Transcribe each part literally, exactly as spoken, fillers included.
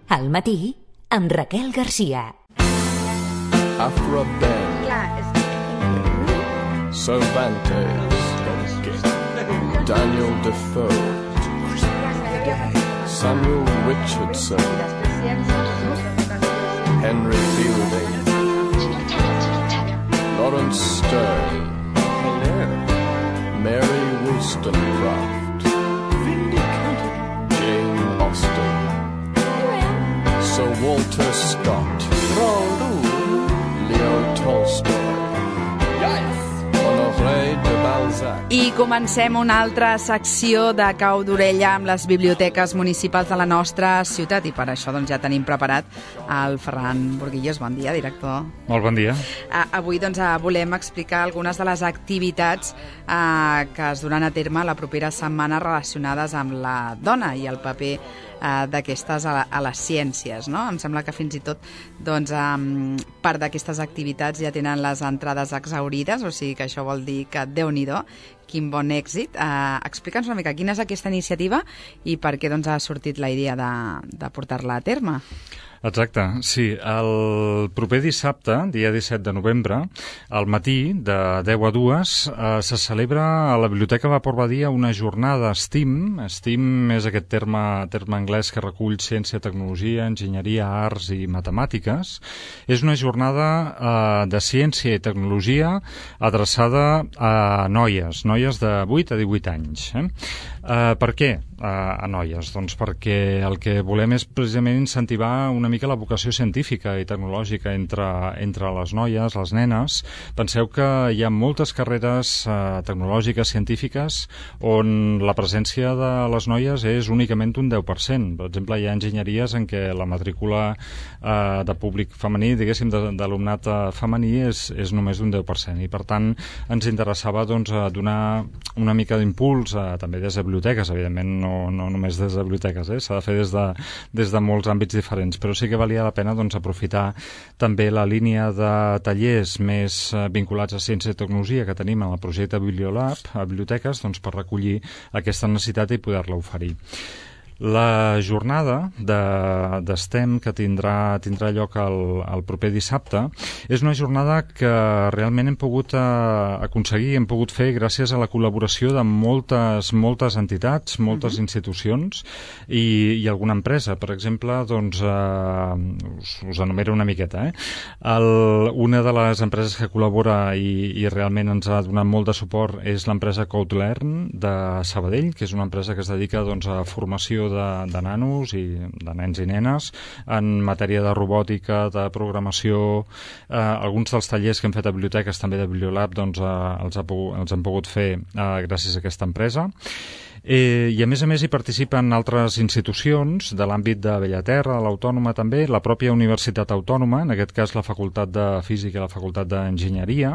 Al matí, amb Raquel Garcia. After a bend, Cervantes, Daniel Defoe, Samuel Richardson, Henry Fielding, Lawrence Sterne, Mary Wollstonecraft, Jane Austen, Sir Walter Scott, Leo Tolstoy, Honoré de Balzac. I comencem una altra secció de cau d'orella amb les biblioteques municipals de la nostra ciutat, i per això doncs, ja tenim preparat el Ferran Burguillos. Bon dia, director. Molt bon dia. Uh, avui doncs, uh, volem explicar algunes de les activitats uh, que es duran a terme la propera setmana relacionades amb la dona i el paper uh, d'aquestes a, a les ciències, no? Em sembla que fins i tot doncs, um, part d'aquestes activitats ja tenen les entrades exhaurides, o sigui que això vol dir que Déu-n'hi-do, quin bon èxit. Uh, Explica'ns una mica quina és aquesta iniciativa i per què doncs, ha sortit la idea de, de portar-la a terme. Exacte, sí. El proper dissabte, dia disset de novembre, al matí, de deu a dues, eh, se celebra a la Biblioteca Vapor Badia una jornada STEAM. STEAM és aquest terme, terme anglès que recull ciència, tecnologia, enginyeria, arts i matemàtiques. És una jornada eh, de ciència i tecnologia adreçada a noies, noies de vuit a divuit anys. Eh? Eh, per què eh, a noies? Doncs perquè el que volem és precisament incentivar una mica la vocació científica i tecnològica entre, entre les noies, les nenes. Penseu que hi ha moltes carreres eh, tecnològiques, científiques, on la presència de les noies és únicament un deu per cent. Per exemple, hi ha enginyeries en què la matrícula eh, de públic femení, diguéssim, d'alumnat femení, és, és només d'un deu per cent. I, per tant, ens interessava doncs, donar una mica d'impuls, eh, també des de biblioteques, evidentment, no, no només des de biblioteques, eh? S'ha de fer des de, des de molts àmbits diferents, però sí que valia la pena doncs, aprofitar també la línia de tallers més eh, vinculats a ciència i tecnologia que tenim en el projecte Bibliolab a biblioteques doncs, per recollir aquesta necessitat i poder-la oferir. La jornada de, de STEM que tindrà, tindrà lloc el, el proper dissabte és una jornada que realment hem pogut eh, aconseguir, hem pogut fer gràcies a la col·laboració de moltes, moltes entitats, moltes uh-huh. institucions i, i alguna empresa. Per exemple, doncs, eh, us, us enumero una miqueta. Eh? El, una de les empreses que col·labora i, i realment ens ha donat molt de suport és l'empresa CodeLearn de Sabadell, que és una empresa que es dedica doncs, a formació De, de nanos i de nens i nenes en matèria de robòtica, de programació. Eh, alguns dels tallers que hem fet a biblioteques, també de Bibliolab, doncs, eh, els, ha pogut, els hem pogut fer eh, gràcies a aquesta empresa. Eh, I a més a més hi participen altres institucions de l'àmbit de Bellaterra, de l'Autònoma també, la pròpia Universitat Autònoma, en aquest cas la Facultat de Física i la Facultat d'Enginyeria,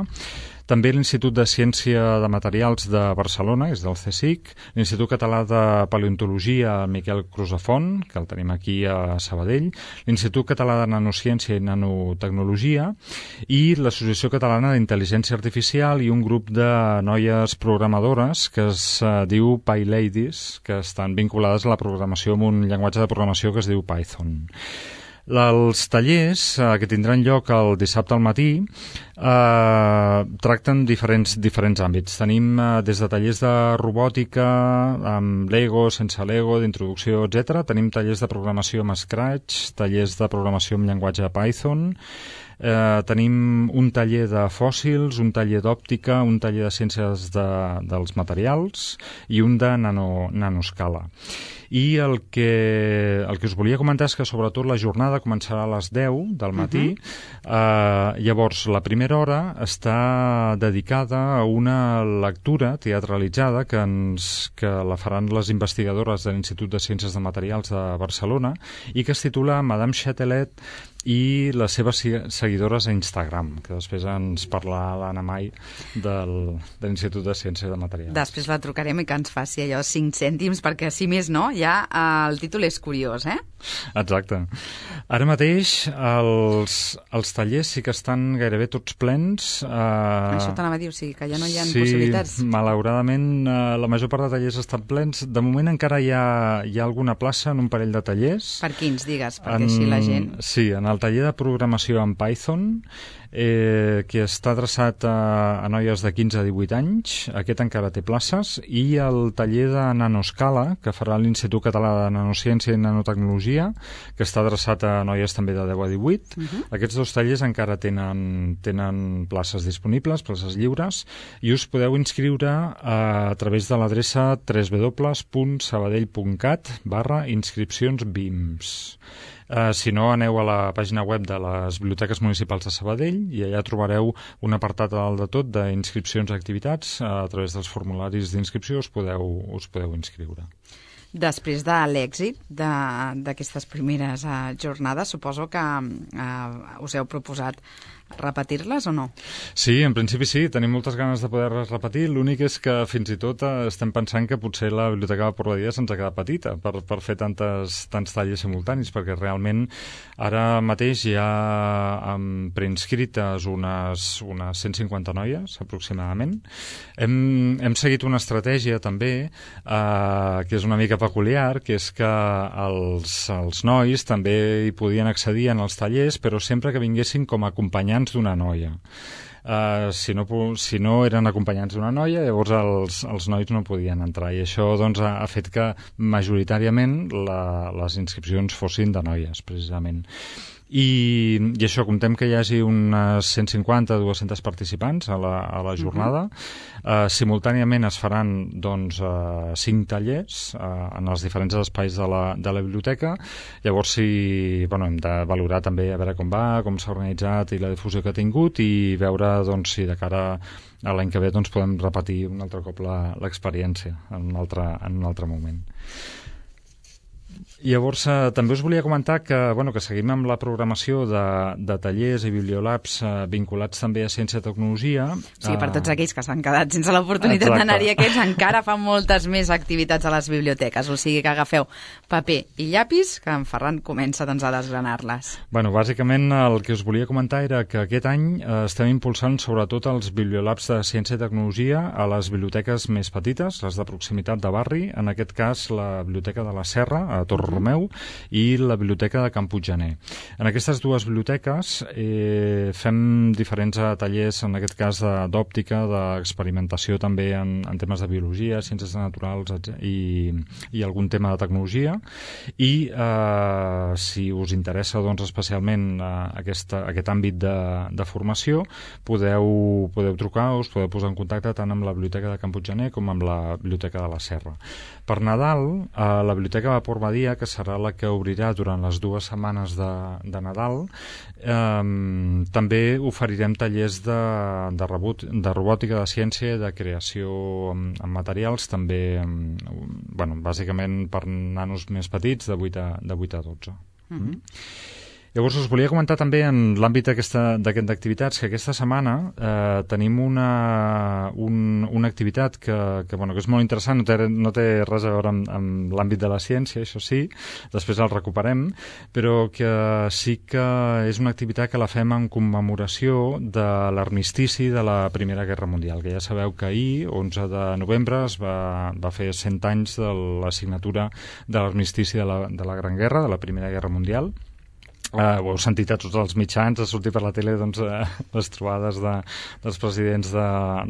també l'Institut de Ciència de Materials de Barcelona, és del CSIC, l'Institut Català de Paleontologia Miquel Crusafont, que el tenim aquí a Sabadell, l'Institut Català de Nanociència i Nanotecnologia i l'Associació Catalana d'Intel·ligència Artificial i un grup de noies programadores que es uh, diu PyLadies, que estan vinculades a la programació amb un llenguatge de programació que es diu Python. Els tallers eh, que tindran lloc el dissabte al matí eh, tracten diferents, diferents àmbits. Tenim eh, des de tallers de robòtica, amb Lego, sense Lego, d'introducció, etcètera. Tenim tallers de programació amb Scratch, tallers de programació amb llenguatge Python. Eh, tenim un taller de fòssils, un taller d'òptica, un taller de ciències de, dels materials i un de nano, nanoscala. I el que, el que us volia comentar és que sobretot la jornada començarà a les deu del matí. Uh-huh. eh, llavors, la primera hora està dedicada a una lectura teatralitzada que, ens, que la faran les investigadores de l'Institut de Ciències de Materials de Barcelona i que es titula Madame Chatelet i les seves seguidores a Instagram, que després ens parlarà l'Anna Mai del, de l'Institut de Ciència de Materials. Després la trucarem i que ens faci allò cinc cèntims, perquè si més no, ja el títol és curiós, eh? Exacte. Ara mateix els, els tallers sí que estan gairebé tots plens. Uh, Això t'anava a dir, o sigui que ja no hi ha sí, possibilitats. Sí, malauradament uh, la major part de tallers estan plens. De moment encara hi ha, hi ha alguna plaça en un parell de tallers. Per quins, digues, perquè en, així la gent... Sí, en el taller de programació en Python, eh, que està adreçat a, a noies de quinze a divuit anys, aquest encara té places, i el taller de nanoscala, que farà l'Institut Català de Nanociència i Nanotecnologia, que està adreçat a noies també de deu a divuit. Uh-huh. Aquests dos tallers encara tenen, tenen places disponibles, places lliures, i us podeu inscriure a, a través de l'adreça w w w punt sabadell punt cat barra inscripcions B I M S. Uh, si no, aneu a la pàgina web de les Biblioteques Municipals de Sabadell i allà trobareu un apartat a dalt de tot d'inscripcions a activitats. Uh, a través dels formularis d'inscripció us podeu, us podeu inscriure. Després de l'èxit d'aquestes primeres uh, jornades, suposo que uh, us heu proposat repetir-les o no? Sí, en principi sí, tenim moltes ganes de poder-les repetir. L'únic és que fins i tot eh, estem pensant que potser la Biblioteca de Portbadia se'ns ha quedat petita per, per fer tantes, tants tallers simultanis, perquè realment ara mateix hi ha um, preinscrites unes, unes cent cinquanta noies, aproximadament. Hem, hem seguit una estratègia també, eh, que és una mica peculiar, que és que els, els nois també hi podien accedir en els tallers, però sempre que vinguessin com a acompanyants d'una noia. Uh, si, no, si no eren acompanyants d'una noia, llavors els, els nois no podien entrar, i això doncs, ha, ha fet que majoritàriament la, les inscripcions fossin de noies, precisament. I, i això, comptem que hi hagi unes cent cinquanta a dues-centes participants a la, a la jornada. Uh-huh. uh, simultàniament es faran doncs, uh, cinc tallers uh, en els diferents espais de la, de la biblioteca. Llavors sí, bueno, hem de valorar també a veure com va, com s'ha organitzat i la difusió que ha tingut, i veure doncs, si de cara a l'any que ve doncs, podem repetir un altre cop l'experiència en un altre, en un altre moment. Llavors, eh, també us volia comentar que, bueno, que seguim amb la programació de, de tallers i bibliolabs eh, vinculats també a ciència i tecnologia. Sí, per tots aquells que s'han quedat sense l'oportunitat d'anar-hi, aquests encara fan moltes més activitats a les biblioteques, o sigui que agafeu paper i llapis, que en Ferran comença doncs, a desgranar-les. Bueno, bàsicament el que us volia comentar era que aquest any eh, estem impulsant sobretot els bibliolabs de ciència i tecnologia a les biblioteques més petites, les de proximitat de barri, en aquest cas la Biblioteca de la Serra, a Torre Romeu, i la Biblioteca de Can Puiggener. En aquestes dues biblioteques eh, fem diferents tallers, en aquest cas d'òptica, d'experimentació també en, en temes de biologia, ciències naturals i, i algun tema de tecnologia, i eh, si us interessa doncs, especialment eh, aquesta, aquest àmbit de, de formació, podeu, podeu trucar, us podeu posar en contacte tant amb la Biblioteca de Can Puiggener com amb la Biblioteca de la Serra. Per Nadal, eh, la Biblioteca de Portbadia, que serà la que obrirà durant les dues setmanes de, de Nadal, eh, també oferirem tallers de, de, rebot, de robòtica, de ciència, de creació amb, amb materials, també, eh, bueno, bàsicament per nanos més petits, de vuit a dotze. Mm-hmm. Mm. Llavors us volia comentar també en l'àmbit d'activitats que aquesta setmana eh, tenim una, un, una activitat que, que, bueno, que és molt interessant, no té, no té res a veure amb, amb l'àmbit de la ciència, això sí, després el recuperem, però que sí que és una activitat que la fem en commemoració de l'armistici de la Primera Guerra Mundial, que ja sabeu que ahir, onze de novembre, es va, va fer cent anys de la signatura de l'armistici de, la, de la Gran Guerra, de la Primera Guerra Mundial. Uh, ho heu sentit a tots els mitjans, a sortir per la tele doncs, uh, les trobades de, dels presidents de,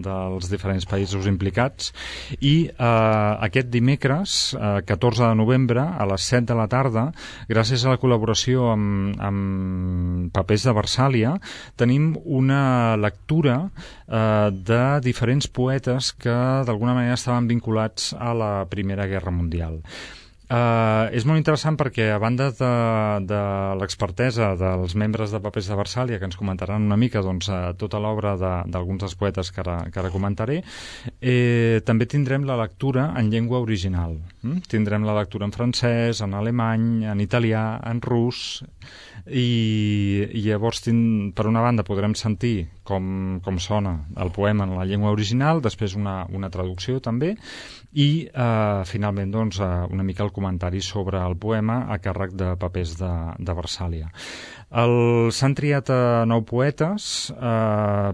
dels diferents països implicats, i uh, aquest dimecres, uh, catorze de novembre, a les set de la tarda, gràcies a la col·laboració amb, amb Papers de Versàlia, tenim una lectura uh, de diferents poetes que d'alguna manera estaven vinculats a la Primera Guerra Mundial. Uh, és molt interessant perquè, a banda de, de l'expertesa dels membres de Papers de Versàlia, que ens comentaran una mica doncs, uh, tota l'obra d'alguns de, dels poetes que ara, que ara comentaré, eh, també tindrem la lectura en llengua original. Mm? Tindrem la lectura en francès, en alemany, en italià, en rus, i, i llavors, tin, per una banda, podrem sentir com, com sona el poema en la llengua original, després una, una traducció també, i eh, finalment doncs, una mica el comentari sobre el poema a càrrec de papers de, de Versàlia. S'han triat a nou poetes, eh,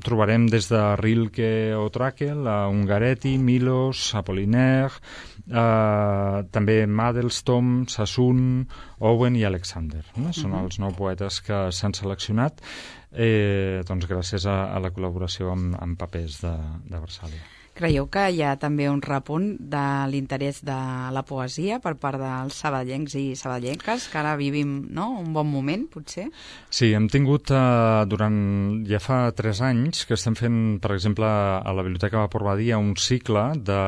trobarem des de Rilke o Trakl, a Ungaretti, Milos, Apollinaire, eh, també Mandelstam, Sassoon, Owen i Alexander. No? Són uh-huh. els nou poetes que s'han seleccionat eh, doncs gràcies a, a la col·laboració amb, amb papers de, de Versàlia. Creieu que hi ha també un repunt de l'interès de la poesia per part dels sabadellencs i sabadellenques, que ara vivim, no?, un bon moment, potser? Sí, hem tingut eh, durant... ja fa tres anys que estem fent, per exemple, a la Biblioteca Vapor Badia un cicle de,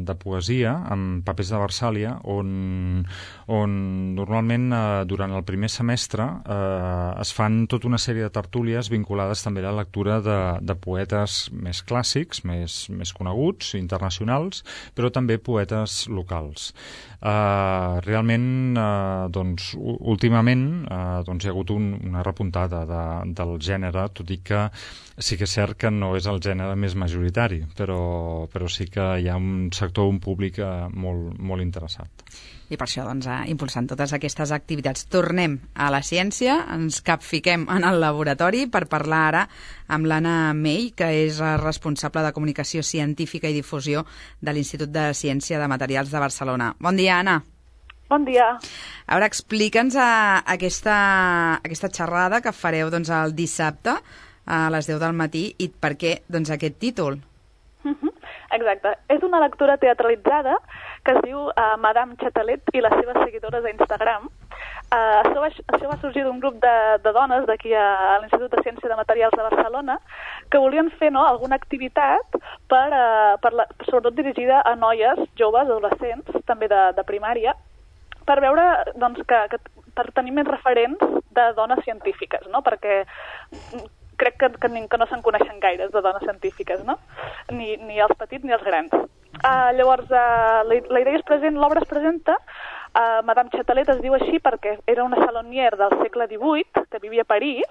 de poesia amb papers de Versàlia, on, on normalment eh, durant el primer semestre eh, es fan tota una sèrie de tertúlies vinculades també a la lectura de, de poetes més clàssics, més, més coneguts, internacionals, però també poetes locals. Uh, realment, uh, doncs, últimament, uh, doncs, hi ha hagut un, una repuntada de, del gènere, tot i que sí que és cert que no és el gènere més majoritari, però, però sí que hi ha un sector, un públic uh, molt, molt interessat. I per això, doncs, impulsant totes aquestes activitats. Tornem a la ciència, ens capfiquem en el laboratori per parlar ara amb l'Anna May, que és responsable de comunicació científica i difusió de l'Institut de Ciència de Materials de Barcelona. Bon dia, Anna. Bon dia. A veure, explica'ns a, aquesta, aquesta xerrada que fareu doncs, el dissabte a les deu del matí i per què doncs, aquest títol. Uh-huh. Exacte. És una lectura teatralitzada que es diu uh, Madame Chatalet i les seves seguidores a Instagram. Uh, això, va, això va sorgir d'un grup de, de dones d'aquí a, a l'Institut de Ciència de Materials de Barcelona que volien fer no, alguna activitat per, uh, per la, sobretot dirigida a noies, joves, adolescents, també de, de primària, per veure doncs, que, que per tenir més referents de dones científiques, no? Perquè crec que, que, que no se'n coneixen gaires de dones científiques, no? Ni, ni els petits ni els grans. Uh, llavors, uh, la, la idea es present, l'obra es presenta, uh, Madame Chatalet es diu així perquè era una salonière del segle divuit, que vivia a París,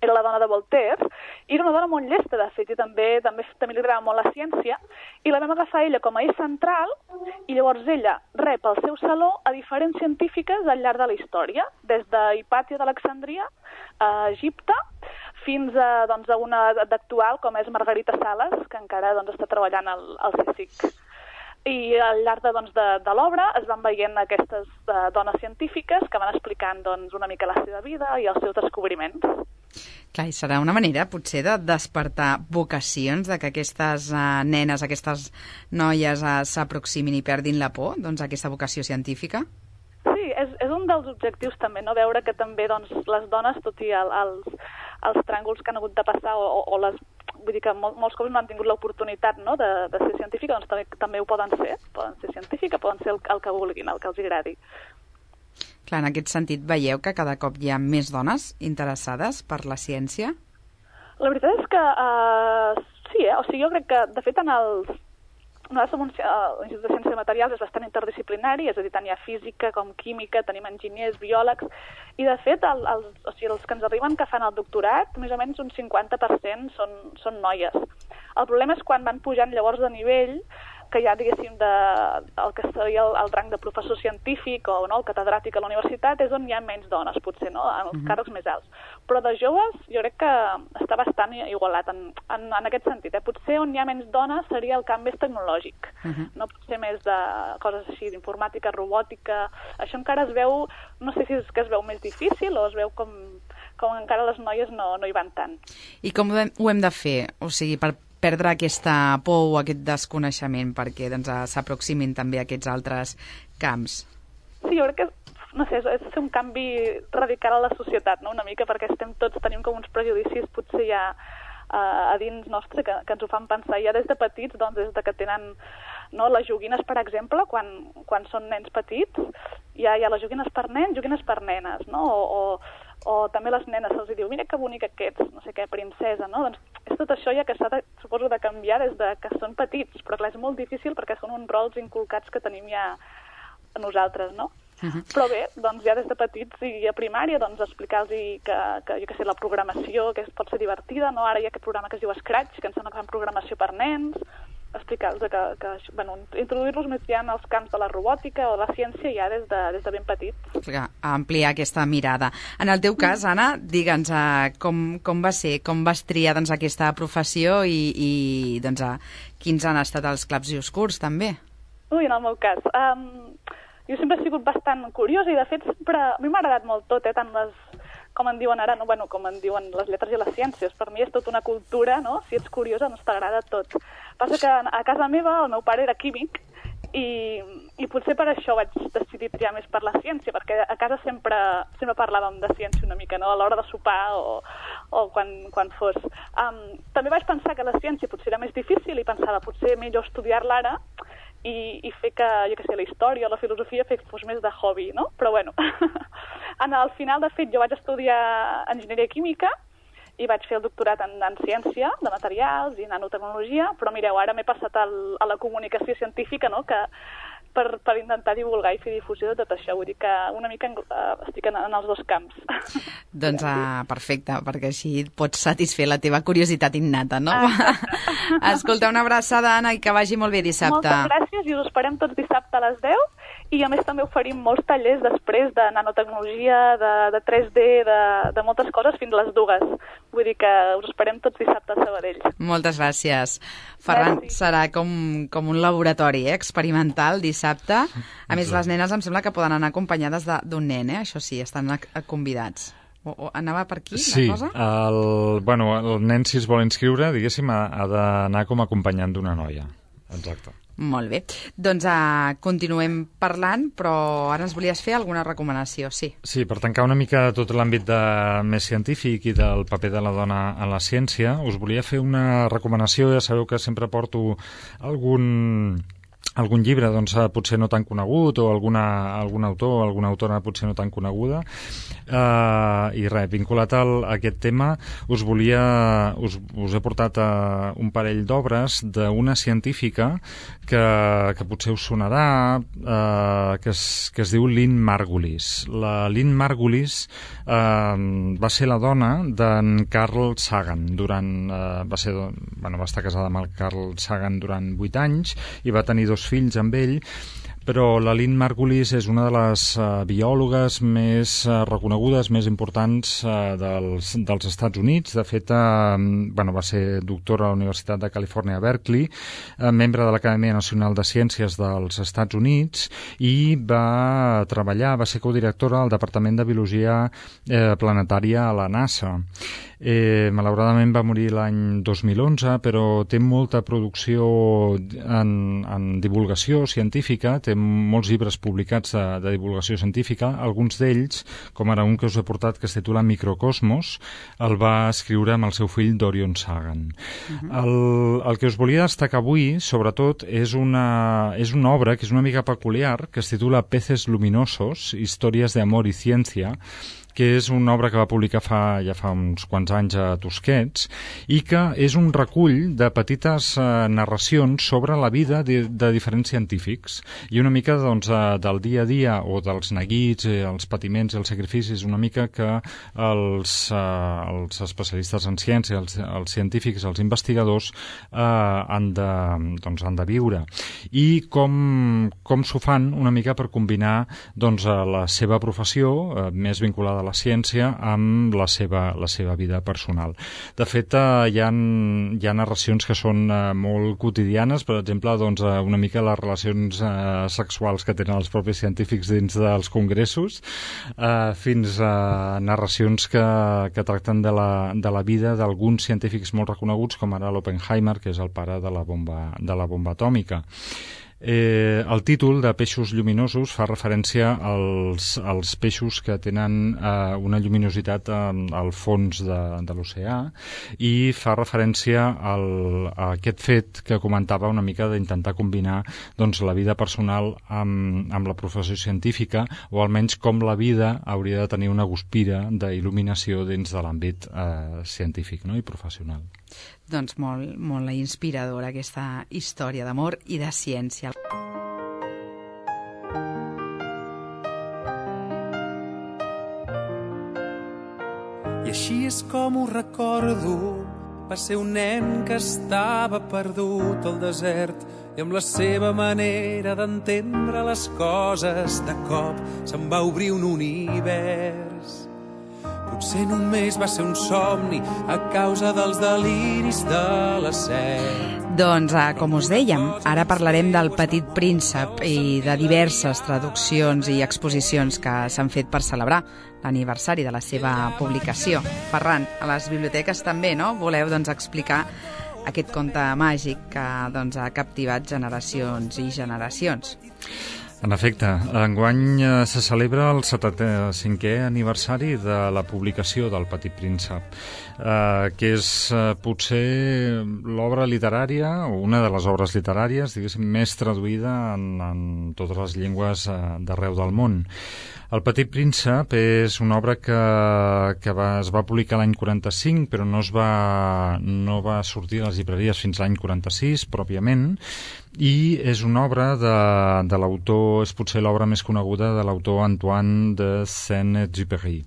era la dona de Voltaire, i era una dona molt llesta, de fet, i també, també, també li agradava molt la ciència, i la vam agafar ella com a eix central, i llavors ella rep al seu saló a diferents científiques al llarg de la història, des de Hipàtia d'Alexandria a Egipte, fins a, doncs, a una d'actual, com és Margarita Sales, que encara doncs, està treballant al, al CSIC. I al llarg de, doncs, de, de l'obra es van veient aquestes uh, dones científiques que van explicant doncs, una mica la seva vida i els seus descobriments. Clar, i serà una manera, potser, de despertar vocacions, de que aquestes uh, nenes, aquestes noies uh, s'aproximin i perdin la por, doncs, aquesta vocació científica? Sí, és, és un dels objectius també, no? Veure que també doncs, les dones, tot i el, els, els tràngols que han hagut de passar o, o, o les... Vull dir que mol, molts cops no han tingut l'oportunitat no? de, de ser científica, doncs també, també ho poden ser, poden ser científica, poden ser el, el que vulguin, el que els agradi. Clar, en aquest sentit, veieu que cada cop hi ha més dones interessades per la ciència? La veritat és que uh, sí, eh? O sigui, jo crec que, de fet, en els... Nosaltres som un, l'Institut de Ciència de Materials és bastant interdisciplinari, és a dir, tant hi ha física com química, tenim enginyers, biòlegs, i de fet el, els, o sigui, els que ens arriben que fan el doctorat, més o menys un cinquanta per cent són, són noies. El problema és quan van pujant llavors de nivell, que ja diguéssim de, el que seria el, el rang de professor científic o no, el catedràtic a la universitat és on hi ha menys dones, potser, no? En els uh-huh. càrrecs més alts. Però de joves jo crec que està bastant igualat en, en, en aquest sentit. Eh? Potser on hi ha menys dones seria el camp més tecnològic, uh-huh. no potser més de coses així, d'informàtica, robòtica. Això encara es veu, no sé si és que es veu més difícil o es veu com, com encara les noies no, no hi van tant. I com ho hem, ho hem de fer? O sigui, per perdre aquesta por o aquest desconeixement perquè doncs, s'aproximin també a aquests altres camps? Sí, jo crec que no sé, és fer un canvi radical a la societat, no? Una mica, perquè estem tots, tenim com uns prejudicis potser ja uh, a dins nostre que, que ens ho fan pensar ja des de petits, doncs des de que tenen no, les joguines, per exemple, quan, quan són nens petits, hi ha, hi ha les joguines per nens, joguines per nenes, no? O, o, o també les nenes se'ls diu, mira que bonic aquests, no sé què, princesa, no? Doncs és tot això ja que s'ha de, suposo, de canviar des de que són petits, però clar, és molt difícil perquè són uns rols inculcats que tenim ja a nosaltres, no? Uh-huh. Però bé, doncs ja des de petits i a primària, doncs explicar-los que, que, jo què sé, la programació, que pot ser divertida, no? Ara hi ha aquest programa que es diu Scratch, que ens sembla que fan programació per nens, explicar-los que, que bueno, introduir-los més ja en els camps de la robòtica o de la ciència ja des de, des de ben petits. Ampliar aquesta mirada. En el teu cas, Anna, digue'ns uh, com, com va ser, com vas triar doncs, aquesta professió i, i doncs, uh, quins han estat els claps i oscurs, també? Ui, en el meu cas... Um... Jo sempre he sigut bastant curiosa i, de fet, sempre... a mi m'ha agradat molt tot, eh? Tant les, com en diuen ara, no? Bueno, com en diuen les lletres i les ciències. Per mi és tota una cultura, no? Si ets curiosa, doncs t'agrada tot. Passa que a casa meva el meu pare era químic i, i potser per això vaig decidir triar més per la ciència, perquè a casa sempre, sempre parlàvem de ciència una mica, no? A l'hora de sopar o, o quan, quan fos. Um, també vaig pensar que la ciència potser era més difícil i pensava potser millor estudiar-la ara, I, i fer que, jo què sé, la història o la filosofia fes fos més de hobby, no? Però bueno, en el final, de fet, jo vaig estudiar enginyeria química i vaig fer el doctorat en, en ciència de materials i nanotecnologia, però mireu, ara m'he passat al, a la comunicació científica, no?, que per, per intentar divulgar i fer difusió de tot això. Vull dir que una mica uh, estic en, en els dos camps. Doncs uh, perfecte, perquè així pots satisfer la teva curiositat innata, no? Escolta, una abraçada, Anna, i que vagi molt bé dissabte. Moltes gràcies i us esperem tots dissabte a les deu i a més també oferim molts tallers després de nanotecnologia, de, de tres D, de, de moltes coses fins a les dues. Vull dir que us esperem tots dissabte a Sabadell. Moltes gràcies. Ferran, Gràcies. Serà com, com un laboratori eh, experimental dissabte. A més, les nenes em sembla que poden anar acompanyades d'un nen, eh? Això sí, estan convidats. O, o anava per aquí, sí, la cosa? Sí, el, bueno, el nen, si es vol inscriure, diguéssim, ha, ha d'anar com a acompanyant d'una noia. Exacte. Molt bé. Doncs uh, continuem parlant, però ara ens volies fer alguna recomanació, sí. Sí, per tancar una mica tot l'àmbit de, més científic i del paper de la dona en la ciència, us volia fer una recomanació. Ja sabeu que sempre porto algun... algun llibre, doncs, potser no tan conegut, o alguna, algun autor o alguna autora potser no tan coneguda. Uh, I res, vinculat al, a aquest tema, us volia... Us, us he portat uh, un parell d'obres d'una científica que, que potser us sonarà, uh, que, es, que es diu Lynn Margulis. La Lynn Margulis uh, va ser la dona d'en Carl Sagan. Durant, uh, va, ser, bueno, va estar casada amb el Carl Sagan durant vuit anys i va tenir dos fills amb ell, però la Lynn Margulis és una de les uh, biòlogues més uh, reconegudes, més importants uh, dels, dels Estats Units. De fet, uh, bueno, va ser doctora a la Universitat de Califòrnia a Berkeley, uh, membre de l'Acadèmia Nacional de Ciències dels Estats Units i va treballar, va ser codirectora al Departament de Biologia eh, Planetària a la NASA. Eh, malauradament va morir l'any dos mil onze, però té molta producció en, en divulgació científica, té molts llibres publicats de, de divulgació científica. Alguns d'ells, com ara un que us he portat que es titula Microcosmos, el va escriure amb el seu fill Dorian Sagan. Uh-huh. el, el que us volia destacar avui, sobretot, és una, és una obra que és una mica peculiar, que es titula Peces luminosos, històries de amor i ciència, que és una obra que va publicar fa, ja fa uns quants anys a Tusquets i que és un recull de petites eh, narracions sobre la vida de, de diferents científics i una mica doncs, eh, del dia a dia o dels neguits, eh, els patiments i els sacrificis, una mica que els, eh, els especialistes en ciència, els, els científics, els investigadors eh, han, de, doncs, han de viure i com, com s'ho fan una mica per combinar doncs, la seva professió eh, més vinculada de la ciència amb la seva, la seva vida personal. De fet, eh, hi ha, hi ha narracions que són eh, molt quotidianes, per exemple, doncs, eh, una mica les relacions eh, sexuals que tenen els propis científics dins dels congressos, eh, fins a narracions que, que tracten de la, de la vida d'alguns científics molt reconeguts, com ara l'Oppenheimer, que és el pare de la bomba, de la bomba atòmica. Eh, el títol de Peixos lluminosos fa referència als, als peixos que tenen eh, una lluminositat eh, al fons de, de l'oceà, i fa referència al, a aquest fet que comentava una mica d'intentar combinar doncs, la vida personal amb, amb la professió científica, o almenys com la vida hauria de tenir una guspira d'il·luminació dins de l'àmbit eh, científic, no? I professional. Doncs molt, molt inspiradora aquesta història d'amor i de ciència. I així és com ho recordo. Va ser un nen que estava perdut al desert i amb la seva manera d'entendre les coses de cop se'n va obrir un univers. Potser només va ser un somni a causa dels deliris de la set. Doncs, eh, com us dèiem, ara parlarem del Petit Príncep i de diverses traduccions i exposicions que s'han fet per celebrar l'aniversari de la seva publicació. Ferran, a les biblioteques també, no? Voleu doncs, explicar aquest conte màgic que doncs, ha captivat generacions i generacions. En efecte, enguany eh, se celebra el setanta-cinquè aniversari de la publicació del Petit Príncep, eh, que és eh, potser l'obra literària, o una de les obres literàries, diguéssim, més traduïda en, en totes les llengües eh, d'arreu del món. El Petit Príncep és una obra que, que va, es va publicar l'any quaranta-cinc, però no, es va, no va sortir a les llibreries fins l'any quaranta-sis, pròpiament, i és una obra de, de l'autor, és potser l'obra més coneguda de l'autor Antoine de Saint-Exupéry.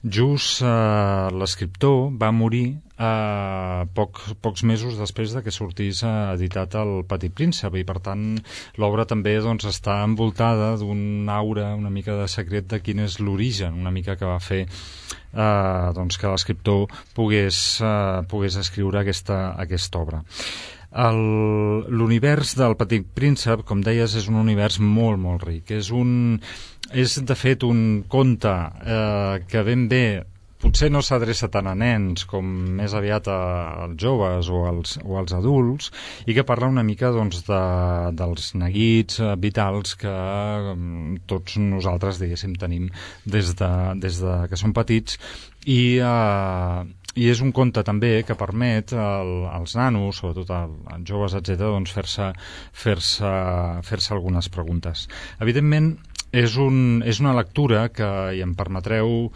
Just eh, l'escriptor va morir eh, poc, pocs mesos després de que sortís eh, editat el Petit Príncep, i per tant l'obra també doncs, està envoltada d'un aura una mica de secret de quin és l'origen una mica que va fer eh, doncs, que l'escriptor pogués, eh, pogués escriure aquesta, aquesta obra. L'univers del Petit Príncep, com deies, és un univers molt, molt ric. És, un, és de fet, un conte eh, que ben bé potser no s'adreça tant a nens com més aviat als joves o als, o als adults, i que parla una mica doncs, de, dels neguits eh, vitals que eh, tots nosaltres, diguéssim, tenim des de, des de que som petits, i eh, i és un conte també que permet el, als nanos, sobretot als joves, etcètera, doncs fer-se fer-se fer-se algunes preguntes. Evidentment, és, un, és una lectura que, i em permetreu,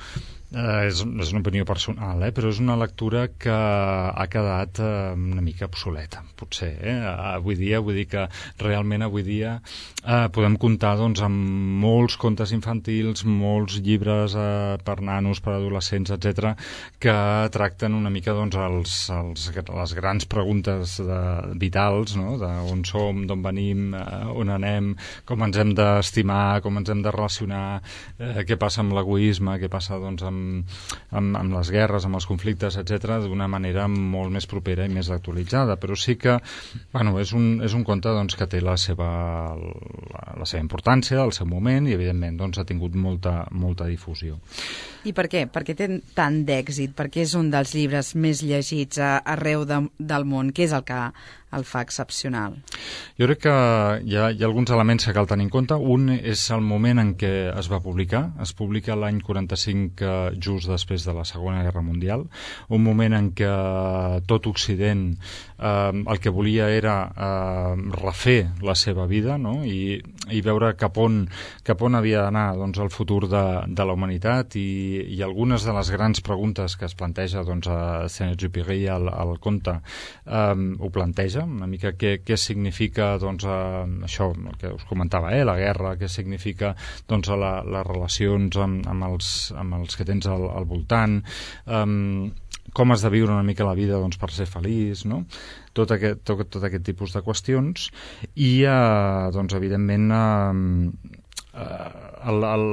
eh, és, és una opinió personal, eh, però és una lectura que ha quedat eh, una mica obsoleta, potser. Eh? Avui dia, vull dir que realment avui dia eh, podem comptar doncs, amb molts contes infantils, molts llibres eh, per nanos, per adolescents, etcètera, que tracten una mica doncs, els, els, les grans preguntes de, vitals, no? D'on som, d'on venim, eh, on anem, com ens hem d'estimar, com ens hem de relacionar, eh, què passa amb l'egoisme, què passa doncs, amb Amb, amb les guerres, amb els conflictes, etcètera, d'una manera molt més propera i més actualitzada. Però sí que bueno, és, un, és un conte doncs, que té la seva, la, la seva importància, el seu moment, i evidentment doncs, ha tingut molta, molta difusió. I per què? Per què té tant d'èxit? Per què és un dels llibres més llegits arreu de, del món? Què és el que el fa excepcional? Jo crec que hi ha, hi ha alguns elements que cal tenir en compte. Un és el moment en què es va publicar. Es publica l'any quaranta-cinc, just després de la Segona Guerra Mundial, un moment en què tot Occident eh, el que volia era eh, refer la seva vida, no? I, i veure cap on, cap on havia d'anar doncs, el futur de, de la humanitat, i, i algunes de les grans preguntes que es planteja doncs, a Saint-Exupéry al, al conte eh, ho planteja, una mica què, què significa doncs, eh, això el que us comentava, eh, la guerra, què significa doncs, la, les relacions amb, amb, els, amb els que tens al, al voltant, eh, com has de viure una mica la vida doncs, per ser feliç, no? Tot aquest, tot, tot aquest tipus de qüestions, i eh, doncs, evidentment eh, eh, el, el,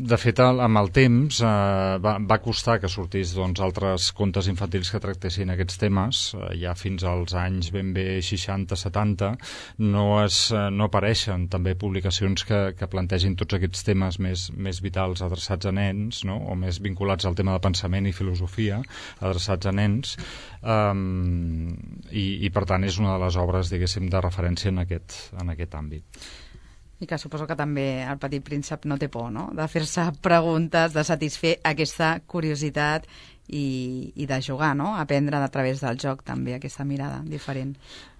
de fet, el, amb el temps eh, va, va costar que sortís doncs, altres contes infantils que tractessin aquests temes. Eh, ja fins als anys ben bé seixanta setanta no, es, no apareixen també publicacions que, que plantegin tots aquests temes més, més vitals adreçats a nens, no? O més vinculats al tema de pensament i filosofia adreçats a nens, um, i, i per tant és una de les obres, diguéssim, de referència en aquest, en aquest àmbit. I que suposo que també el Petit Príncep no té por, no?, de fer-se preguntes, de satisfer aquesta curiositat i, i de jugar, no?, aprendre a través del joc també aquesta mirada diferent.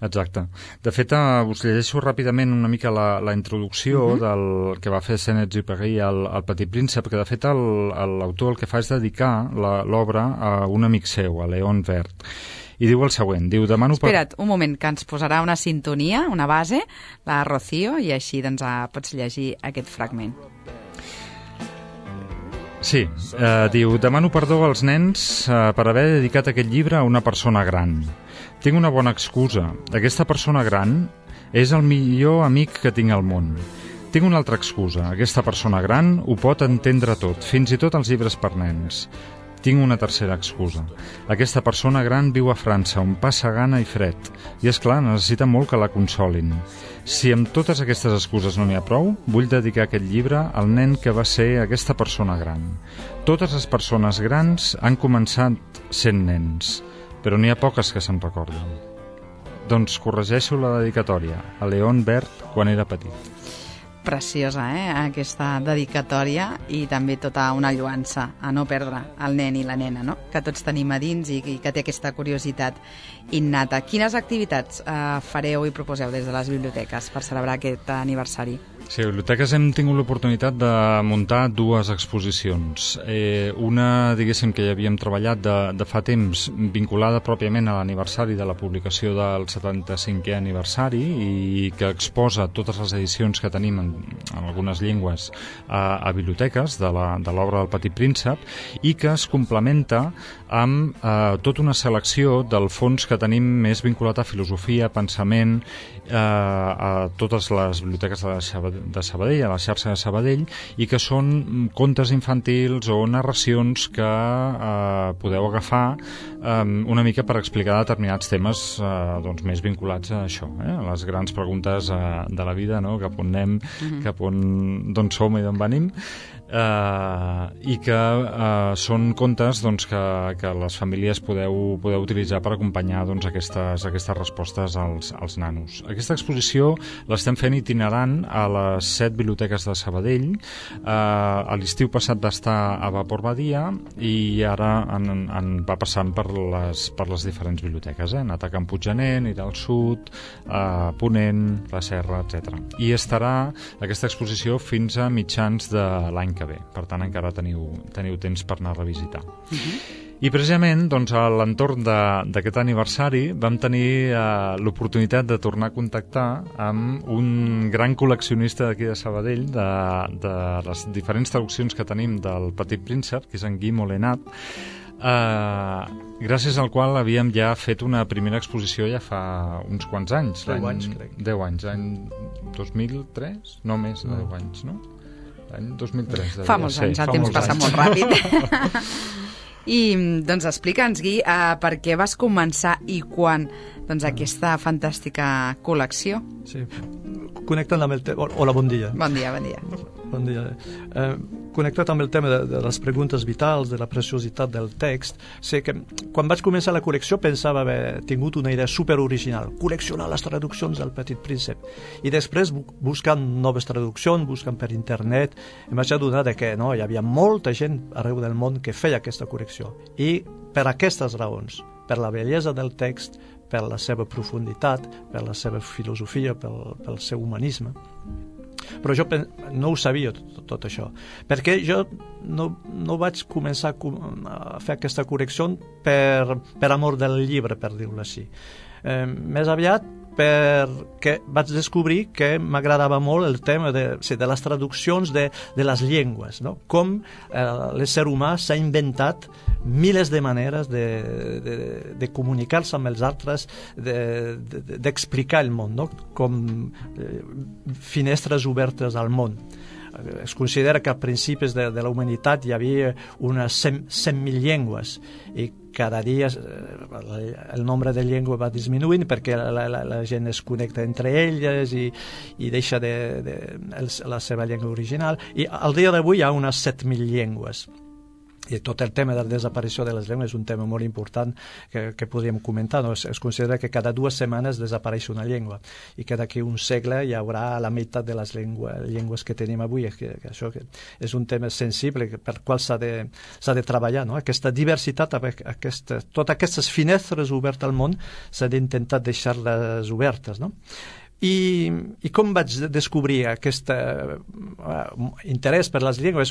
Exacte. De fet, uh, us llegeixo ràpidament una mica la, la introducció uh-huh. del que va fer Saint-Exupéry al, al Petit Príncep, que de fet l'autor el, el que fa és dedicar l'obra a un amic seu, a Léon Vert. I diu el següent, diu, demano... Espera't, un moment, que ens posarà una sintonia, una base, la Rocío, i així doncs pots llegir aquest fragment. Sí, eh, diu, demano perdó als nens eh, per haver dedicat aquest llibre a una persona gran. Tinc una bona excusa. Aquesta persona gran és el millor amic que tinc al món. Tinc una altra excusa. Aquesta persona gran ho pot entendre tot, fins i tot els llibres per nens. Tinc una tercera excusa. Aquesta persona gran viu a França, on passa gana i fred, i és clar, necessita molt que la consolin. Si amb totes aquestes excuses no n'hi ha prou, vull dedicar aquest llibre al nen que va ser aquesta persona gran. Totes les persones grans han començat sent nens, però n'hi ha poques que se'n recorden. Doncs corregeixo la dedicatòria a Léon Vert quan era petit. Preciosa, eh?, aquesta dedicatòria, i també tota una lluança a no perdre el nen i la nena, no?, que tots tenim a dins i, i que té aquesta curiositat innata. Quines activitats eh, fareu i proposeu des de les biblioteques per celebrar aquest aniversari? Sí, a biblioteques hem tingut l'oportunitat de muntar dues exposicions. Eh, una, diguéssim, que ja havíem treballat de, de fa temps, vinculada pròpiament a l'aniversari de la publicació del setanta-cinquè aniversari i que exposa totes les edicions que tenim en, en algunes llengües a, a biblioteques de l'obra del Petit Príncep, i que es complementa amb eh, tota una selecció del fons que tenim més vinculat a filosofia, pensament, eh, a totes les biblioteques de la Sabadell, de Sabadell, a la xarxa de Sabadell, i que són contes infantils o narracions que eh, podeu agafar eh, una mica per explicar determinats temes eh, doncs més vinculats a això, eh, a les grans preguntes eh, de la vida, no?, cap on anem, mm-hmm. cap on, d'on som i d'on venim, eh, i que eh, són contes doncs, que, que les famílies podeu, podeu utilitzar per acompanyar doncs, aquestes, aquestes respostes als, als nanos. Aquesta exposició l'estem fent itinerant a la les set biblioteques de Sabadell. Eh, a l'estiu passat va estar a Vapor Badia i ara en, en va passant per les, per les diferents biblioteques. Eh? Ha anat a Can Puiggener, anirà al sud, a Ponent, la Serra, etcètera. I estarà aquesta exposició fins a mitjans de l'any que ve. Per tant, encara teniu, teniu temps per anar a revisitar. Uh-huh. I precisament doncs, a l'entorn d'aquest aniversari vam tenir eh, l'oportunitat de tornar a contactar amb un gran col·leccionista d'aquí de Sabadell de, de les diferents traduccions que tenim del Petit Príncep, que és en Guy Molenat, eh, gràcies al qual havíem ja fet una primera exposició ja fa uns quants anys. deu anys, crec. deu anys, l'any dos mil tres? No, més de deu anys, no? L'any dos mil tres. Fa molts anys, el temps passa molt ràpid. I doncs explica'ns, Gui, uh, per què vas començar i quan doncs, aquesta fantàstica col·lecció. Sí, connectant amb el tema... Hola, bon dia. Bon dia, bon dia. Bon dia. Eh, connectat amb el tema de, de les preguntes vitals, de la preciositat del text, sé que quan vaig començar la col·lecció pensava haver tingut una idea superoriginal, col·leccionar les traduccions del Petit Príncep. I després, buscant noves traduccions, buscant per internet, em vaig adonar que no, hi havia molta gent arreu del món que feia aquesta col·lecció. I per aquestes raons, per la bellesa del text, per la seva profunditat, per la seva filosofia, pel, pel seu humanisme. Però jo no ho sabia tot, tot això, perquè jo no, no vaig començar a fer aquesta correcció per, per amor del llibre, per dir-ho així. Eh, més aviat perquè vaig descobrir que m'agradava molt el tema de, de les traduccions de, de les llengües, no? Com eh, l'ésser humà s'ha inventat milers de maneres de, de, de comunicar-se amb els altres, d'explicar de, de, el món, no? Com eh, finestres obertes al món. es considera que a principis de, de la humanitat hi havia unes cent mil llengües i cada dia el nombre de llengües va disminuint perquè la, la, la gent es connecta entre elles i, i deixa de, de, de la seva llengua original, i al dia d'avui hi ha unes set mil llengües. I tot el tema de la desaparició de les llengües és un tema molt important que, que podríem comentar. No? Es, es considera que cada dues setmanes desapareix una llengua i que d'aquí un segle hi haurà la meitat de les llengües, llengües que tenim avui. Que, que això que és un tema sensible per qual s'ha de, s'ha de treballar. No? Aquesta diversitat, aquesta, totes aquestes finestres obertes al món s'ha d'intentar deixar-les obertes. No? I, i com vaig descobrir aquest uh, interès per les llengües?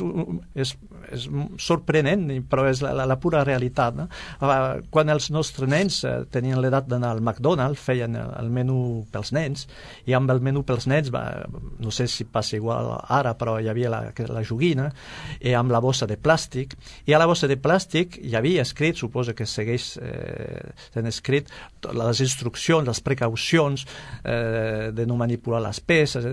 És, és sorprenent, però és la, la, la pura realitat. No? Uh, quan els nostres nens uh, tenien l'edat d'anar al McDonald's, feien el, el menú pels nens, i amb el menú pels nens, va, no sé si passa igual ara, però hi havia la, la joguina, i amb la bossa de plàstic, i a la bossa de plàstic hi havia escrit, suposo que segueix eh, sent escrit, les instruccions, les precaucions, eh, de no manipular les peces,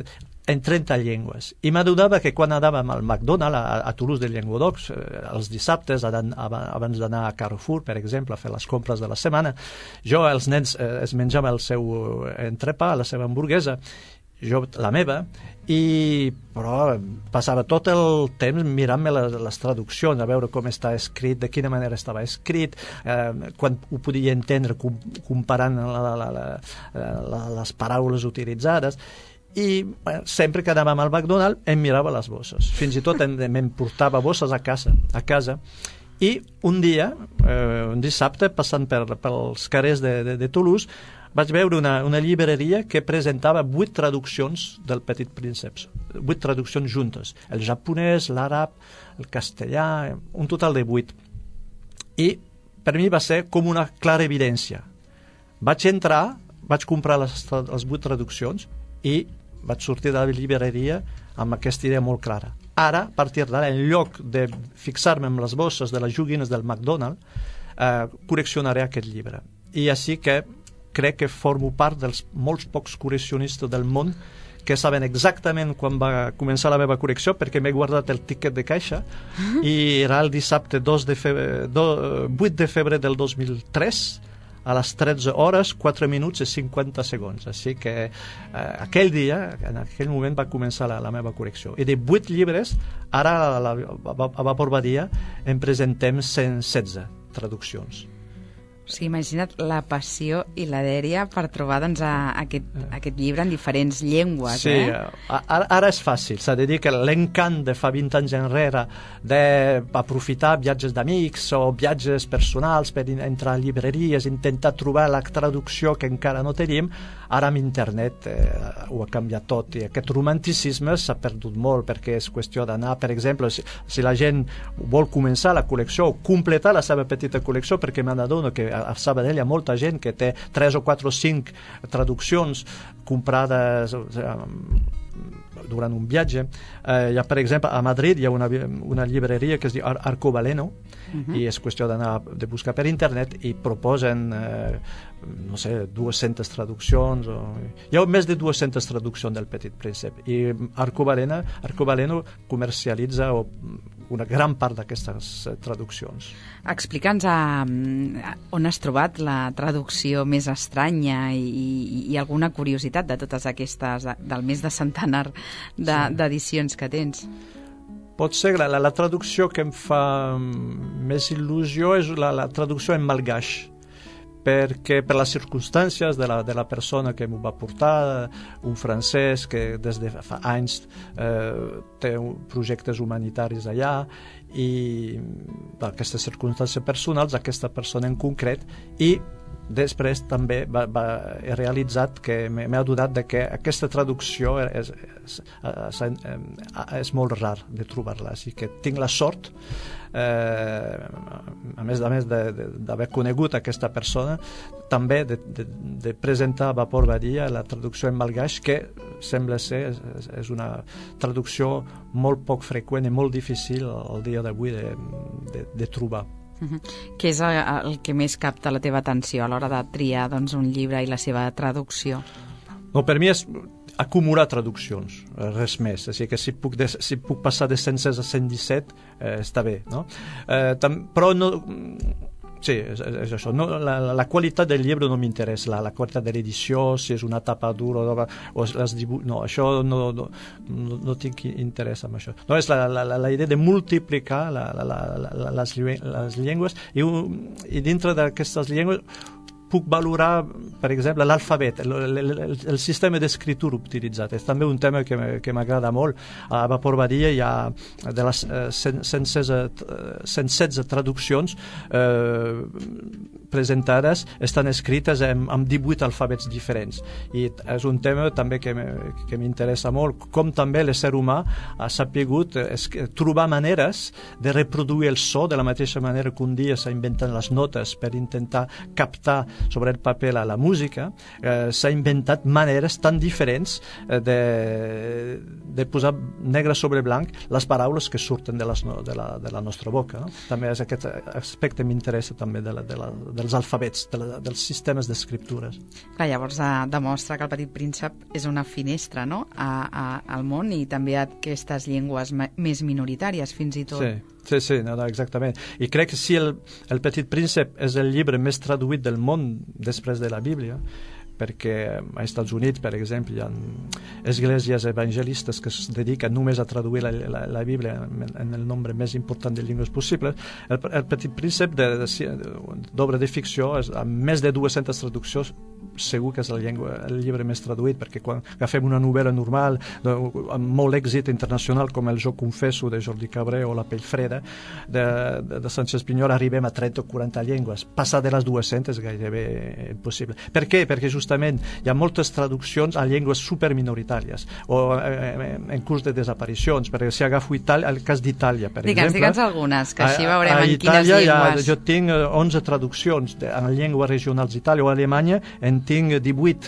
en trenta llengües. I m'adonava que quan anàvem al McDonald's, a, a Toulouse de Llenguadoc, eh, els dissabtes, abans d'anar a Carrefour, per exemple, a fer les compres de la setmana, jo, els nens, eh, es menjava el seu entrepà, la seva hamburguesa, jo la meva, i però passava tot el temps mirant-me les, les traduccions, a veure com està escrit, de quina manera estava escrit, eh, quan ho podia entendre com, comparant la, la, la, la, la, les paraules utilitzades, i bueno, sempre que anàvem al McDonald's em mirava les bosses, fins i tot em portava bosses a casa, a casa. I un dia, eh, un dissabte, passant per, pels carrers de, de, de Toulouse, vaig veure una, una llibreria que presentava vuit traduccions del Petit Príncep, vuit traduccions juntes, el japonès, l'àrab, el castellà, un total de vuit. I per mi va ser com una clara evidència. Vaig entrar, vaig comprar les, les vuit traduccions i vaig sortir de la llibreria amb aquesta idea molt clara. Ara, a partir d'ara, en lloc de fixar-me en les bosses de les joguines del McDonald's, eh, col·leccionaré aquest llibre. I així que crec que formo part dels molts pocs col·leccionistes del món que saben exactament quan va començar la meva col·lecció, perquè m'he guardat el tiquet de caixa, i era el dissabte dos de febrer, do, vuit de febrer del dos mil tres, a les tretze hores, quatre minuts i cinquanta segons. Així que eh, aquell dia, en aquell moment, va començar la, la meva col·lecció. I de vuit llibres, ara a, la, a Vapor Badia en presentem cent setze traduccions. O sigui, imagina't la passió i la dèria per trobar doncs, a, a aquest, a aquest llibre en diferents llengües. Sí, eh? ara, ara és fàcil. S'ha de dir que l'encant de fa vint anys enrere d'aprofitar viatges d'amics o viatges personals per entrar a llibreries, intentar trobar la traducció que encara no tenim, ara amb internet eh, ho ha canviat tot, i aquest romanticisme s'ha perdut molt, perquè és qüestió d'anar, per exemple, si, si la gent vol començar la col·lecció o completar la seva petita col·lecció, perquè me n'adono que a Sabadell hi ha molta gent que té tres o quatre o cinc traduccions comprades durant un viatge. Eh, hi ha, per exemple, a Madrid hi ha una, una llibreria que es diu Ar Arcobaleno, uh-huh. i és qüestió d'anar de buscar per internet, i proposen eh, no sé, dues-centes traduccions, o... hi ha més de dues-centes traduccions del Petit Príncep, i Arcobaleno, Arcobaleno comercialitza o, una gran part d'aquestes traduccions. Explica'ns a, a, on has trobat la traducció més estranya i, i, i alguna curiositat de totes aquestes, de, del més de centenar d'edicions de, sí. que tens. Pot ser la, la, la traducció que em fa més il·lusió és la, la traducció en malgaix, perquè per les circumstàncies de la, de la persona que m'ho va portar, un francès que des de fa anys eh, té projectes humanitaris allà, i d'aquestes circumstàncies personals, aquesta persona en concret, i després també va, va, he realitzat que m'he adonat de que aquesta traducció és, és, és, és molt rar de trobar-la, així que tinc la sort, eh, a més a més d'haver conegut aquesta persona, també de, de, de presentar a Vapor Badia la traducció en malgaix, que sembla ser és, és una traducció molt poc freqüent i molt difícil al dia d'avui de, de, de trobar. Uh-huh. Què és el, el que més capta la teva atenció a l'hora de triar doncs, un llibre i la seva traducció? No, per mi és, acumular traduccions, res més. O sigui que si puc, de, si puc passar de cent sis a cent disset, eh, està bé, no? Eh, tam, però no... Sí, és, és això. No, la, la qualitat del llibre no m'interessa, la, la qualitat de l'edició, si és una tapa dura o, o les dibuix... No, això no, no, no, no tinc interès en això. No, és la, la, la idea de multiplicar la, la, la, la, les, les llengües i, i dintre d'aquestes llengües puc valorar, per exemple, l'alfabet, el, el, el, el sistema d'escriptura utilitzat. És també un tema que, que m'agrada molt. A Vapor Badia hi ha de les eh, cent setze traduccions eh, presentades, estan escrites amb, amb divuit alfabets diferents. I és un tema també que, que m'interessa molt, com també l'ésser humà ha sapigut es, trobar maneres de reproduir el so de la mateixa manera que un dia s'ha inventat les notes per intentar captar sobre el paper la, la música, eh, s'ha inventat maneres tan diferents eh, de, de posar negre sobre blanc les paraules que surten de, les, de, la, de la nostra boca. No? També és aquest aspecte m'interessa també de la, de la, dels alfabets, de la, dels sistemes d'escriptures. Clar, llavors eh, demostra que el Petit Príncep és una finestra, no?, a, a, al món i també a aquestes llengües més minoritàries, fins i tot. Sí. Sí, sí, no, no, exactament. I crec que si el, el Petit Príncep és el llibre més traduït del món després de la Bíblia, perquè als Estats Units, per exemple, hi ha esglésies evangelistes que es dediquen només a traduir la, la, la Bíblia en, en el nombre més important de llengües possibles. El, el Petit Príncep d'obra de, de ficció, és, amb més de dues-centes traduccions, segur que és el, llengua, el llibre més traduït, perquè quan agafem una novel·la normal de, amb molt èxit internacional com el Jo confesso de Jordi Cabré o La pell freda de, de, de Sánchez Pinyol, arribem a trenta o quaranta llengües. Passar de les dues-centes és gairebé impossible. Per què? Perquè justament hi ha moltes traduccions a llengües superminoritàries o eh, en curs de desaparicions, perquè si agafo Itàlia, el cas d'Itàlia, per digue'ns, exemple... Digue'ns algunes, que així veurem a, a en Itàlia quines llengües... Ha, jo tinc onze traduccions de, en llengües regionals d'Itàlia o Alemanya, en tinc divuit.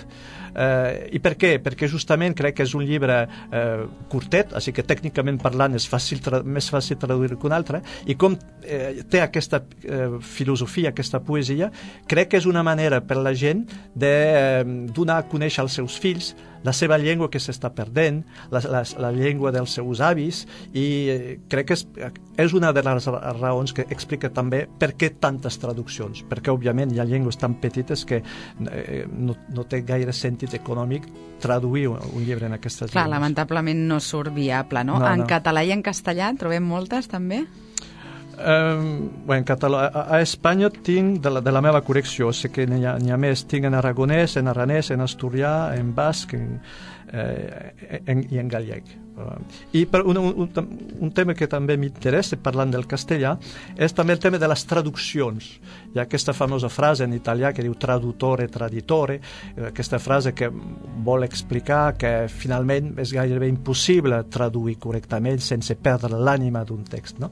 Eh, I per què? Perquè justament crec que és un llibre eh, curtet, així que tècnicament parlant és fàcil més fàcil traduir que un altre, i com eh, té aquesta eh, filosofia, aquesta poesia, crec que és una manera per la gent de eh, donar a conèixer als seus fills la seva llengua que s'està perdent, la, la, la llengua dels seus avis, i eh, crec que és, és una de les raons que explica també per què tantes traduccions, perquè òbviament hi ha llengües tan petites que eh, no, no té gaire sentit econòmic traduir un, un llibre en aquestes Clar, llengües. Lamentablement no surt viable, no? no en no. català i en castellà trobem moltes, també? Um, bueno, en català, a, a Espanya tinc de la, de la meva col·lecció, sé que n'hi ha, n'hi ha més, tinc en aragonès, en aranès, en asturià, en basc en, eh, en, i en gallec. Uh, I per un, un, un tema que també m'interessa parlant del castellà és també el tema de les traduccions. Hi ha aquesta famosa frase en italià que diu traduttore, traditore, aquesta frase que vol explicar que finalment és gairebé impossible traduir correctament sense perdre l'ànima d'un text, no?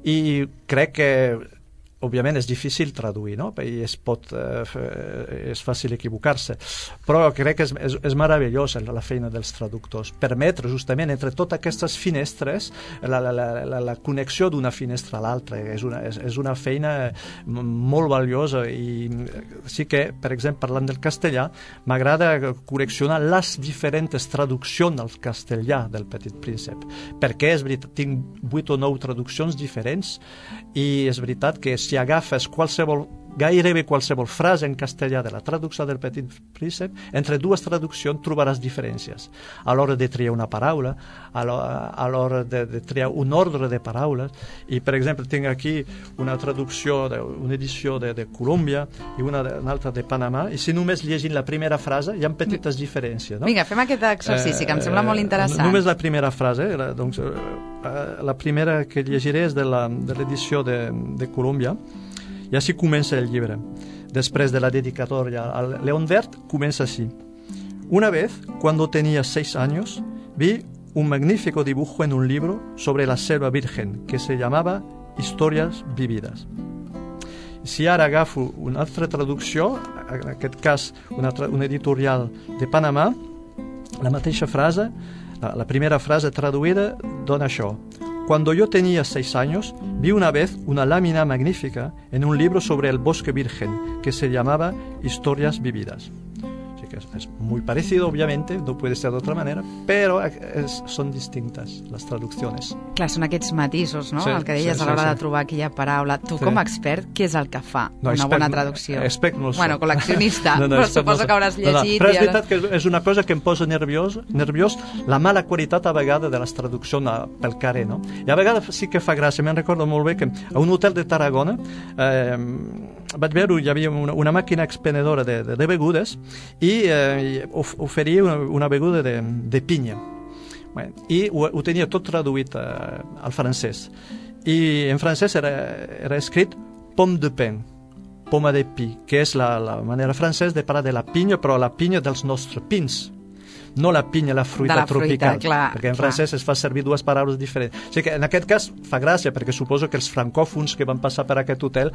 I crec que òbviament és difícil traduir, no? I es pot, eh, és fàcil equivocar-se, però crec que és, és, és meravellós la feina dels traductors, permetre justament entre totes aquestes finestres la, la, la, la, la connexió d'una finestra a l'altra. És una, és, és una feina molt valiosa i sí que, per exemple, parlant del castellà, m'agrada col·leccionar les diferents traduccions al castellà del Petit Príncep, perquè és veritat, tinc vuit o nou traduccions diferents i és veritat que si agafes qualsevol, gairebé qualsevol frase en castellà de la traducció del Petit Príncep, entre dues traduccions trobaràs diferències. A l'hora de triar una paraula, a l'hora de, de triar un ordre de paraules, i per exemple tinc aquí una traducció, de, una edició de, de Colòmbia i una, de, una altra de Panamà, i si només llegint la primera frase hi ha petites diferències. No? Vinga, fem aquest exercici, eh, que em sembla molt interessant. Només la primera frase, la, doncs, la primera que llegiré és de l'edició de, de Colòmbia, i així comença el llibre. Després de la dedicatoria al León Verd, comença així. Una vez, cuando tenía seis años, vi un magnífico dibujo en un libro sobre la selva virgen que se llamaba Historias vividas. Si ara agafo una altra traducció, en aquest cas una, una editorial de Panamà, la mateixa frase, la, la primera frase traduïda dona això. Cuando yo tenía seis años, vi una vez una lámina magnífica en un libro sobre el bosque virgen que se llamaba Historias vividas. O sigui que que es, es muy parecido, obviamente, no puede ser de otra manera, pero es, son distintas las traducciones. Clar, són aquests matisos, no? Sí, el que deies sí, a l'hora sí, sí. de trobar aquella paraula. Tu, Sí. com a expert, què és el que fa No, una expert bona no- traducció? expert no ho soc. Bueno, col·leccionista, No, no, però expert no suposo soc. que hauràs No, no, llegit. però és i ara- veritat que és una cosa que em posa nerviós, nerviós la mala qualitat a vegades de les traduccions a, pel carrer, no? I a vegades sí que fa gràcia. Me'n recordo molt bé que a un hotel de Tarragona eh, vaig veure, hi havia una, una màquina expendedora de, de, de begudes i eh, of, oferia una, una beguda de, de pinya. Bueno, i ho, ho tenia tot traduït eh, al francès. I en francès era, era escrit pomme de pin, poma de pi, que és la, la manera francesa de parlar de la pinya, però la pinya dels nostres pins, no la pinya, la fruita De la fruita, tropical, clar, perquè en clar. francès es fa servir dues paraules diferents. O sigui que en aquest cas fa gràcia, perquè suposo que els francòfons que van passar per aquest hotel,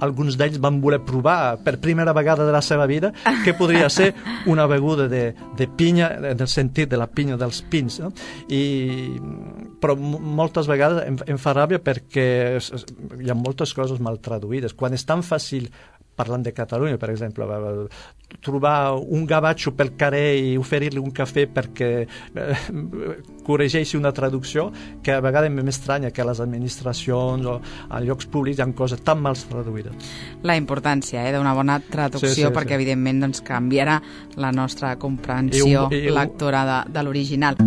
alguns d'ells van voler provar per primera vegada de la seva vida que podria ser una beguda de, de pinya, en el sentit de la pinya dels pins, no? I, però m- moltes vegades em, em fa ràbia perquè es- es- hi ha moltes coses mal traduïdes. Quan és tan fàcil, parlant de Catalunya, per exemple, trobar un gavatxo pel carrer i oferir-li un cafè perquè eh, corregeixi una traducció, que a vegades m'estranya que a les administracions o a llocs públics hi ha coses tan mal traduïdes. La importància eh, d'una bona traducció, Sí, sí, sí. perquè evidentment doncs, canviarà la nostra comprensió I un- i un- lectora de, de l'original.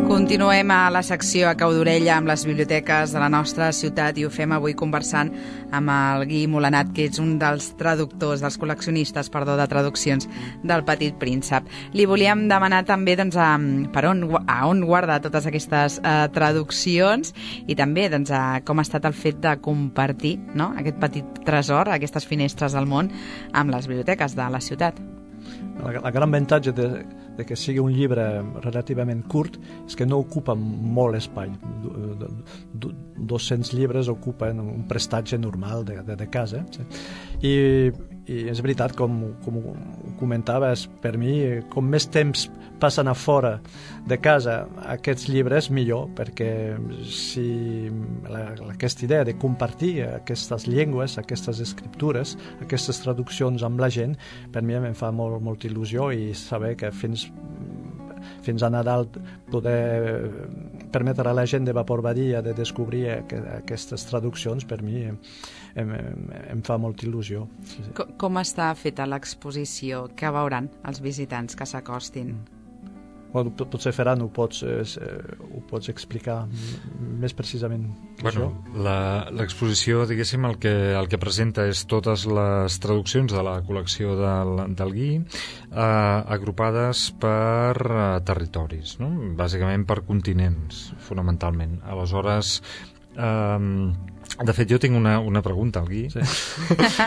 Continuem a la secció a cau d'orella amb les biblioteques de la nostra ciutat i ho fem avui conversant amb el Guy Molanat, que és un dels traductors, dels col·leccionistes, perdó, de traduccions del Petit Príncep. Li volíem demanar també doncs, a, per on, a on guarda totes aquestes eh, traduccions i també doncs, a com ha estat el fet de compartir, no?, aquest petit tresor, aquestes finestres al món, amb les biblioteques de la ciutat. La, la gran avantatge de, de que sigui un llibre relativament curt és que no ocupa molt espai. dos-cents llibres ocupen un prestatge normal de, de, de casa. Sí. I, I és veritat, com, com ho comentaves, per mi, com més temps passen a fora de casa aquests llibres, millor, perquè si la, aquesta idea de compartir aquestes llengües, aquestes escriptures, aquestes traduccions amb la gent, per mi em fa molt, molta il·lusió, i saber que fins fins a Nadal poder permetre a la gent de Vapor Badia de descobrir aquestes traduccions, per mi em, em, em fa molta il·lusió. Sí, sí. Com, com està feta l'exposició? Què veuran els visitants que s'acostin? Bueno, potser Ferran ho pots, eh, ho pots explicar més precisament que bueno, jo. la- L'exposició, diguéssim, el que, el que presenta és totes les traduccions de la col·lecció del, del Guy, eh, agrupades per eh, territoris, no? Bàsicament per continents, fonamentalment. Aleshores, eh, de fet, jo tinc una, una pregunta al Guy, Sí.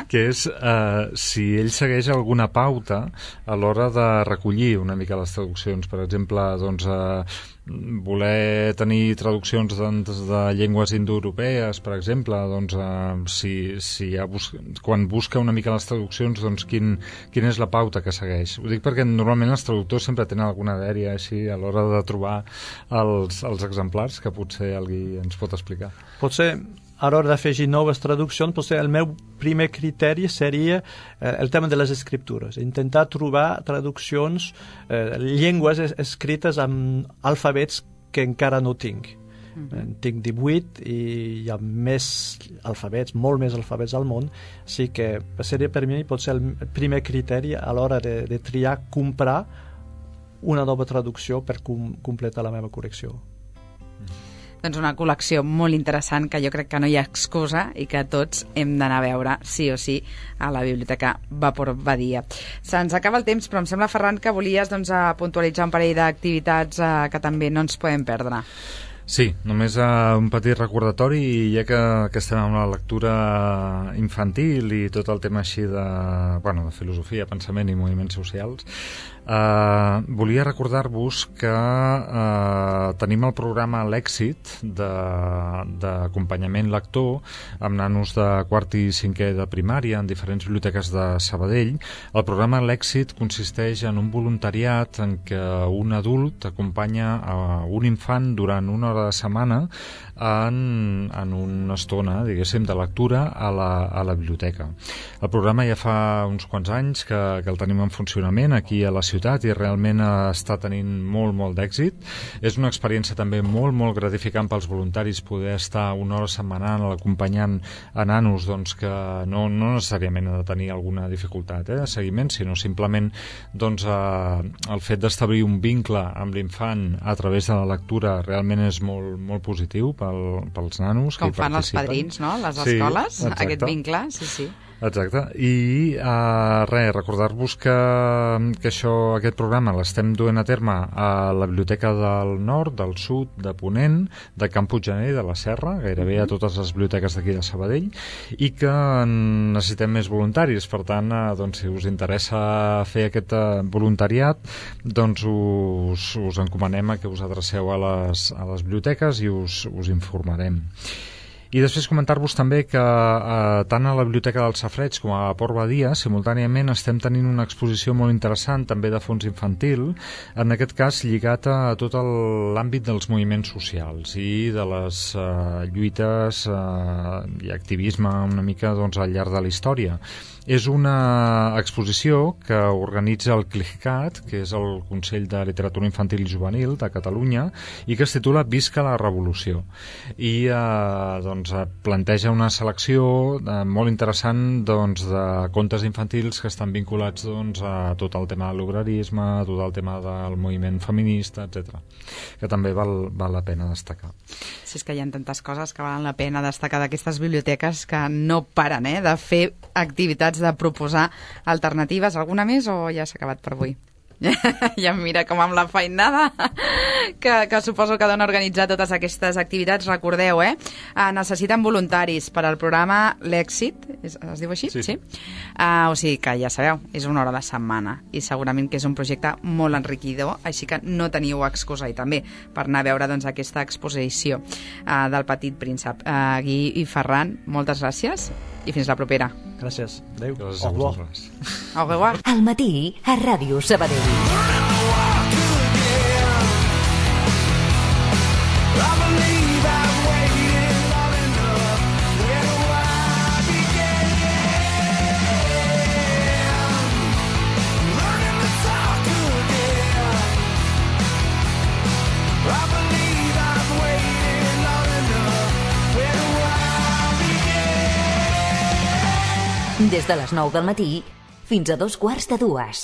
que és eh, si ell segueix alguna pauta a l'hora de recollir una mica les traduccions. Per exemple, doncs, eh, voler tenir traduccions doncs, de llengües indoeuropees, per exemple, doncs, eh, si, si ha bus quan busca una mica les traduccions, doncs, quin, quina és la pauta que segueix? Ho dic perquè normalment els traductors sempre tenen alguna dèria així a l'hora de trobar els, els exemplars, que potser el Guy ens pot explicar. Potser a l'hora d'afegir noves traduccions, potser el meu primer criteri seria eh, el tema de les escriptures, intentar trobar traduccions, eh, llengües es escrites amb alfabets que encara no tinc. Mm-hmm. En tinc divuit i hi ha més alfabets, molt més alfabets al món, així que seria per mi potser el primer criteri a l'hora de, de triar, comprar una nova traducció per com completar la meva col·lecció. Doncs una col·lecció molt interessant que jo crec que no hi ha excusa i que tots hem d'anar a veure sí o sí a la Biblioteca Vapor Badia. Se'ns acaba el temps, però em sembla, Ferran, que volies doncs, a puntualitzar un parell d'activitats eh, que també no ens podem perdre. Sí, només uh, un petit recordatori, i ja que, que estem amb la lectura infantil i tot el tema així de, bueno, de filosofia, pensament i moviments socials, Uh, volia recordar-vos que uh, tenim el programa L'Èxit d'acompanyament lector amb nanos de quart i cinquè de primària en diferents biblioteques de Sabadell. El programa L'Èxit consisteix en un voluntariat en què un adult acompanya a un infant durant una hora de setmana en, en una estona, diguéssim, de lectura a la, a la biblioteca. El programa ja fa uns quants anys que, que el tenim en funcionament aquí a la ciutat i realment està tenint molt, molt d'èxit. És una experiència també molt, molt gratificant pels voluntaris poder estar una hora setmanal acompanyant a nanos doncs, que no, no necessàriament ha de tenir alguna dificultat eh, de seguiment, sinó simplement doncs, eh, el fet d'establir un vincle amb l'infant a través de la lectura realment és molt, molt positiu pel, pels nanos com que hi fan participen. Els padrins, no? Les sí, escoles, exacte. Aquest vincle, sí, sí. Exacte, i uh, res, recordar-vos que, que això, aquest programa l'estem duent a terme a la Biblioteca del Nord, del Sud, de Ponent, de Camp Puiggener i de la Serra, gairebé a totes les biblioteques d'aquí de Sabadell, i que necessitem més voluntaris. Per tant, uh, doncs, si us interessa fer aquest uh, voluntariat, doncs us, us encomanem a que us adreceu a les, a les biblioteques i us, us informarem. I després comentar-vos també que eh, tant a la Biblioteca del Safareig com a Port Badia simultàniament estem tenint una exposició molt interessant també de fons infantil, en aquest cas lligat a tot l'àmbit dels moviments socials i de les eh, lluites eh, i activisme una mica doncs, al llarg de la història. És una exposició que organitza el CLICAT, que és el Consell de Literatura Infantil i Juvenil de Catalunya, i que es titula Visca la Revolució. I eh, doncs, planteja una selecció eh, molt interessant doncs, de contes infantils que estan vinculats doncs, a tot el tema de l'obrerisme, a tot el tema del moviment feminista, etcètera, que també val, val la pena destacar. Sí, és que hi ha tantes coses que valen la pena destacar d'aquestes biblioteques que no paren eh, de fer activitats, de proposar alternatives. Alguna més o ja s'ha acabat per avui? Ja em mira com amb la feinada que, que suposo que dona organitzar totes aquestes activitats. Recordeu, eh? Necessiten voluntaris per al programa L'Èxit, es, es diu així? Sí. sí? Uh, o sigui que ja sabeu, és una hora de setmana i segurament que és un projecte molt enriquidor, així que no teniu excusa i també per anar a veure doncs, aquesta exposició uh, del Petit Príncep. Uh, Gui i Ferran, moltes gràcies i fins la propera. Gràcies. Adéu. Gràcies a vosaltres. Au revoir. Al matí a Ràdio Sabadell. Des de les nou del matí fins a dos quarts de dues.